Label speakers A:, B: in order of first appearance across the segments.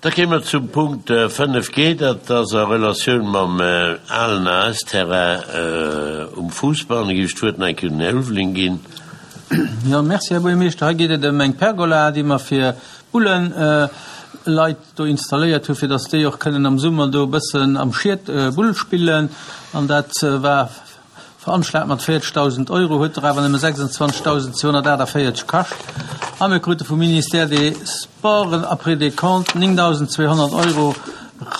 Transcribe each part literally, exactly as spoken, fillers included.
A: Da kéime mer zum Punkt fënnef G, dat ass a Relatioun mam alen A S-Terrain um Fuussball. Da géif ech d'Wuert nach eng Kéier un den Här Ulveling ginn.
B: Jo, merci, Här Buergermeeschter. Hei geet et ëm eng Pergola, déi mer fir Bulleleit do installéiert hunn, fir dass déi och kënnen am Summer do e bëssen am Schiet Bull spillen. An dat war veranschlagt mat véierzegdausend Euro, huet der awer nëmme sechsundzwanzegdausendzweehonnertaachtavéierzeg kascht. A mir krute vum Ministère des Sports après décompte néngdausendzweehonnert Euro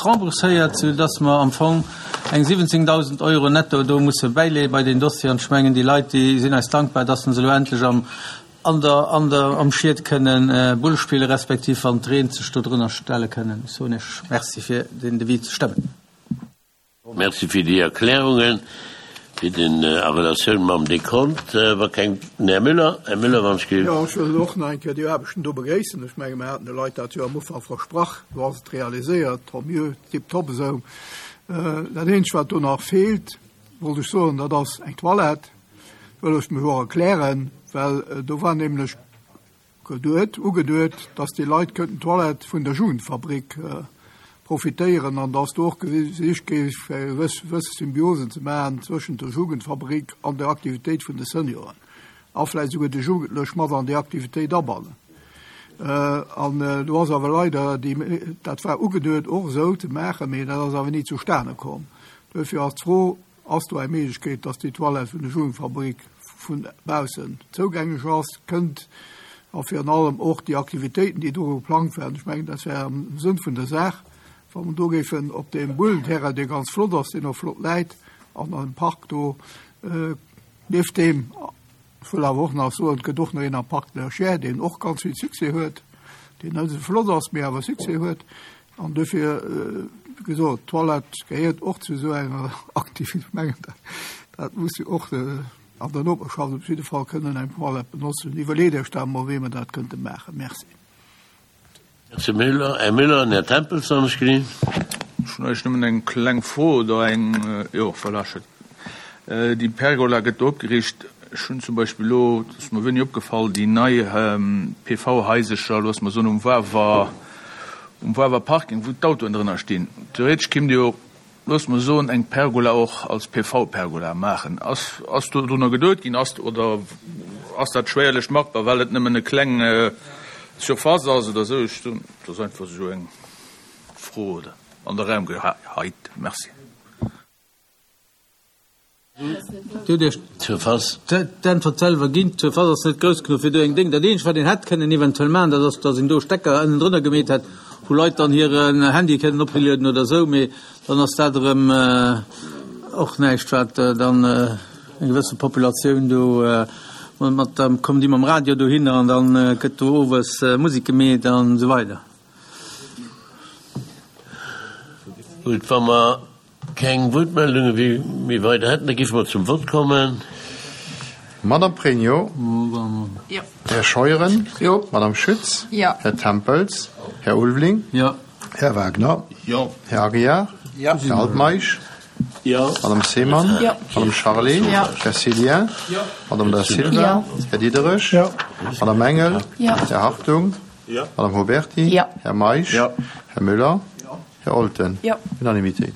B: rembourséiert, soudass mer am Fong eng siwwenzéngdausend Euro netto do musse bäileeë bei deen Dossier. An ech mengen, déi Leit, déi sinn eis dankbar, dass se elo endlech am, an der, an der, am Schiet kënnen Bull spille respektiv wann et reent sech do drënner stelle kënnen. Ech soen Iech Merci fir deen Devis ze stëmmen.
A: Merci fir déi Erklärungen, fir den a Relatioun mam Dekont. Wa keng, den Här Müller, Här Müller, wann ech géif.
C: Jo, ech wëll och nach eng Kéier déi Aarbechten do begréissen. Ech menge mer haten de Leit dat jo am Ufank versprach, lo ass et realiséiert, tant mieux, tiptop esou. Dat eenzegt, wat do nach feelt, wollt ech soen, dat ass eng Toilette. Wëll ech mech och erklären, well do war nämlech geduet, ugeduet, dass déi Leit kënnten d'Toilette vun der Jugendfabrik profitéieren an dass do och gesicht géif, fir eng gewëss, gewëss Symbiosen ze maachen zwëschent der Jugendfabrik an der Aktivitéit vun de Senioren a vläicht souguer de Jugendlech mat an déi Aktivitéit abannen. An do ass awer leider déi, dat war ugeduet och esou ze maachen, mee dat ass awer ni zustane komm. Duerfir ass d'Fro, Ass do eng Méiglechkeet, dass déi Toilette vun der Jugendfabrik vu baussen zougänglech ass, kënnt a virun allem och déi Aktivitéiten, déi do geplangt waren? Ech mengen, dat wär am Sënn vun der Saach, wa mer do géifen op deem Bullenterrain, dee ganz flott ass, deen och flott läit, an am Park do, nieft deem, ech wëll awer och nach soen, et gëtt och nach een am Parc de la Chiers, deen och ganz vill Succès huet, deen net esou flott ass, mee awer Succès huet. An dofir, wéi gesot, d'Toilette gehéiert och zu esou enger Aktivitéit. Ech mengen, dat, dat muss jo och an der Noperschaft op jidde Fall kënnen eng Toilette benotzen. Iwwerleet Iech dat emol, wéi mer dat kënnte maachen. Merci.
A: Merci Müller. Här Müller an Här Tempels, wann ech gesinn.
D: Ech hunn eigentlech nëmmen eng kleng Fro oder eng, jo, voilà, ech huet. Déi Pergola gëtt do opgeriicht. Ech hunn zum Beispill elo, dat ass mer wéini opgefall, déi nei P V-Haisercher, loosse mer soen, um Wawer, um Wawer Parking, wou d'Autoen drënner stinn. Theoretesch kéint jo, loosse mer soen, eng Pergola och als P V-Pergola maachen. Ass, ass do drunner geduet ginn? Ass, oder ass dat schwéierlech machbar, well et nëmmen e kleng Surface ass oder esou? Ech soen, dat ass einfach esou eng Fro oder an de Raum geheit. Merci.
B: Dir hutt Iech d'Äntwert selwer ginn. D'Surface ass net grouss genuch fir do eng Déng. Dat eenzegt, wat een hätt kënnen eventuell maachen, dat ass, datt een do Stecker ënnendrënner gemeet hätt, wou Leit dann hiren Handy kënnen oplueden oder esou. Mee dann ass dat erëm och näischt, wat dann eng gewësse Populatioun do mat, da kommen déi mam Radio dohinner an da gëtt do owes Musek gemeet an esou weider.
A: Gutt, wa mer keng Wuertmeldunge méi weider hätten, da géife mer zum Vott kommen.
E: Madame Pregno.
F: Jo.
E: Här Scheuren.
F: Jo.
E: Madame Schütz.
F: Jo.
E: Här Tempels. Här Ulveling.
B: Jo.
E: Här Wagner.
D: Jo.
E: Här Aguiar.
F: Jo.
E: Här Altmeisch.
A: Jo.
E: Madame Seemann.
F: Jo.
E: Madame Charlé.
F: Jo.
E: Här Cillien.
D: Jo.
E: Madame Da Silva.
F: Jo.
E: Här Diderich.
C: Jo.
E: Madame Engel.
F: Jo.
E: Här Hartung.
D: Jo.
E: Madame Huberti.
F: Jo.
E: Här Meisch.
D: Jo.
E: Här Müller. Här Olten.
F: Jo.
E: Unanimité.